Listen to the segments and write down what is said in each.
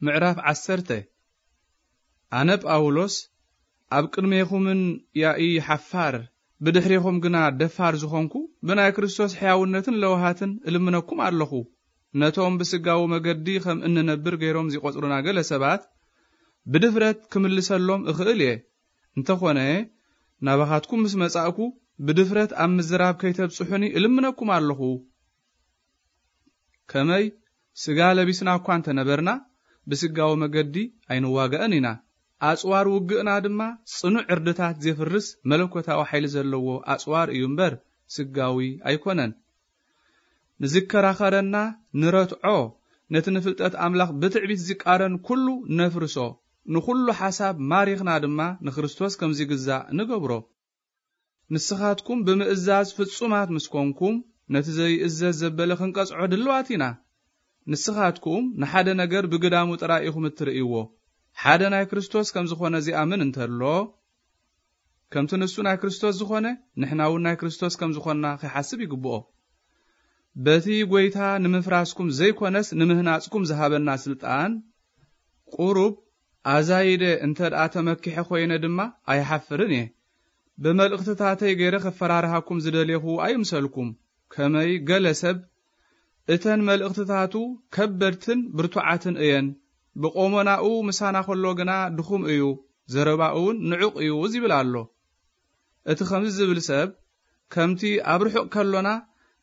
ምዕራፍ ዓሰርተ። ኣነ ጳውሎስ፣ ኣብ ቅድሜኹምን ያኢ ሓፋር፣ ብድሕሬኹም ግና ደፋር ዝኾንኩ፣ ብናይ ክርስቶስ ሕያውነትን ለውሃትን እልምነኩም ኣለኹ። ነቶም ብስጋዊ መገዲ ከም እንነብር ገይሮም ዚቖጽሩና ገለ ሰባት፣ ብድፍረት ክምልሰሎም እኽእል እየ። እንተኾነ፣ ናባኻትኩም ምስ መጻእኩ፣ ብድፍረት ኣብ ምዝራብ ከይተብጽሑኒ እልምነኩም ኣለኹ። ከመይ ስጋ ለቢስና እኳ እንተነበርና፣ ብስጋዊ መገዲ ኣይንዋጋእን ኢና። ኣጽዋር ውግእና ድማ ጽኑዕ ዕርድታት ዜፍርስ መለኮታዊ ሓይሊ ዘለዎ ኣጽዋር እዩ እምበር፣ ስጋዊ ኣይኮነን። ንዝከራኸረና ንረትዖ፣ ነቲ ንፍልጠት ኣምላኽ ብትዕቢት ዚቃረን ኩሉ ነፍርሶ፣ ንኹሉ ሓሳብ ማሪኽና ድማ ንክርስቶስ ከም ዚግዛእ ንገብሮ። ንስኻትኩም ብምእዛዝ ፍጹማት ምስ ኮንኩም፣ ነቲ ዘይእዘዝ ዘበለ ክንቀጽዖ ድልዋት ኢና። ንስኻትኩም ንሓደ ነገር ብግዳሙ ጥራይ ኢኹም እትርእይዎ። ሓደ ናይ ክርስቶስ ከም ዝኾነ ዚኣምን እንተሎ፣ ከምቲ ንሱ ናይ ክርስቶስ ዝኾነ፣ ንሕና እውን ናይ ክርስቶስ ከም ዝኾንና ኺሓስብ ይግብኦ። በቲ ጐይታ ንምፍራስኩም ዘይኮነስ ንምህናጽኩም ዝሃበና ስልጣን፣ ቁሩብ ኣዛይደ እንተ ደኣ ተመኪሐ ኾይነ ድማ ኣይሓፍርን እየ። ብመልእኽትታተይ ገይረ ኸፈራርሃኩም ዝደሌኹ ኣይምሰልኩም። ከመይ ገለ ሰብ፣ እተን መልእኽትታቱ ከበድትን ብርቱዓትን እየን፣ ብቆመናኡ ምሳና ኸሎ ግና ድኹም እዩ፣ ዘረባኡ እውን ንዑቕ እዩ ዚብል ኣሎ። እቲ ኸምዚ ዚብል ሰብ፣ ከምቲ ኣብ ርሑቕ ከሎና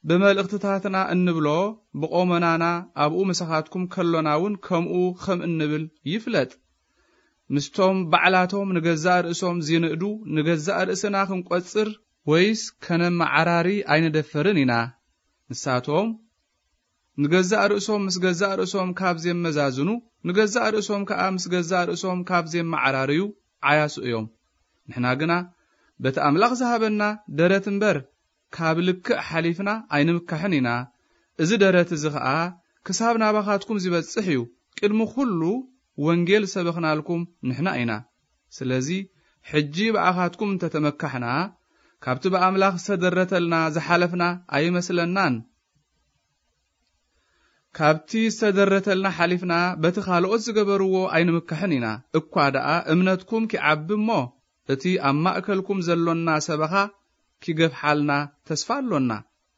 ብመልእኽትታትና እንብሎ፣ ብቆመናና ኣብኡ ምሳኻትኩም ከሎና እውን ከምኡ ኸም እንብል ይፍለጥ። ምስቶም ባዕላቶም ንገዛእ ርእሶም ዚንእዱ፣ ንገዛእ ርእስና ክንቆጽር ወይስ ከነመዓራሪ ኣይንደፍርን ኢና። ንሳቶም ንገዛእ ርእሶም ምስ ገዛእ ርእሶም ካብ ዜመዛዝኑ፣ ንገዛእ ርእሶም ከኣ ምስ ገዛእ ርእሶም ካብ ዜመዓራርዩ ዓያሱ እዮም። ንሕና ግና በቲ ኣምላኽ ዝሃበና ደረት እምበር፣ ካብ ልክዕ ሓሊፍና ኣይንምካሕን ኢና። እዚ ደረት እዚ ኸኣ ክሳብ ናባኻትኩም ዚበጽሕ እዩ። ቅድሚ ኹሉ ወንጌል ዝሰበኽናልኩም ንሕና ኢና። ስለዚ ሕጂ ብኣኻትኩም እንተ ተመካሕና፣ ካብቲ ብኣምላኽ ዝተደረተልና ዝሓለፍና ኣይመስለናን። ካብቲ ዝተደረተልና ሓሊፍና በቲ ካልኦት ዝገበርዎ ኣይንምካሕን ኢና። እኳ ደኣ እምነትኩም ኪዓቢ እሞ፣ እቲ ኣብ ማእከልኩም ዘሎና ሰበኻ ኪገፍሓልና ተስፋ ኣሎና።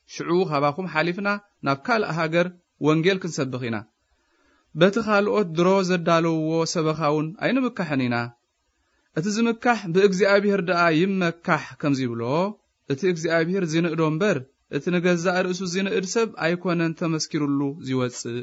ሽዑ ኻባኹም ሓሊፍና ናብ ካልእ ሃገር ወንጌል ክንሰብኽ ኢና። በቲ ካልኦት ድሮ ዘዳለውዎ ሰበኻ እውን ኣይንምካሕን ኢና። እቲ ዝምካሕ ብእግዚኣብሔር ደኣ ይመካሕ ከም ዚብሎ፣ እቲ እግዚኣብሔር ዚንእዶ እምበር፣ እቲ ንገዛእ ርእሱ ዚንእድ ሰብ ኣይኮነን ተመስኪሩሉ ዚወጽእ።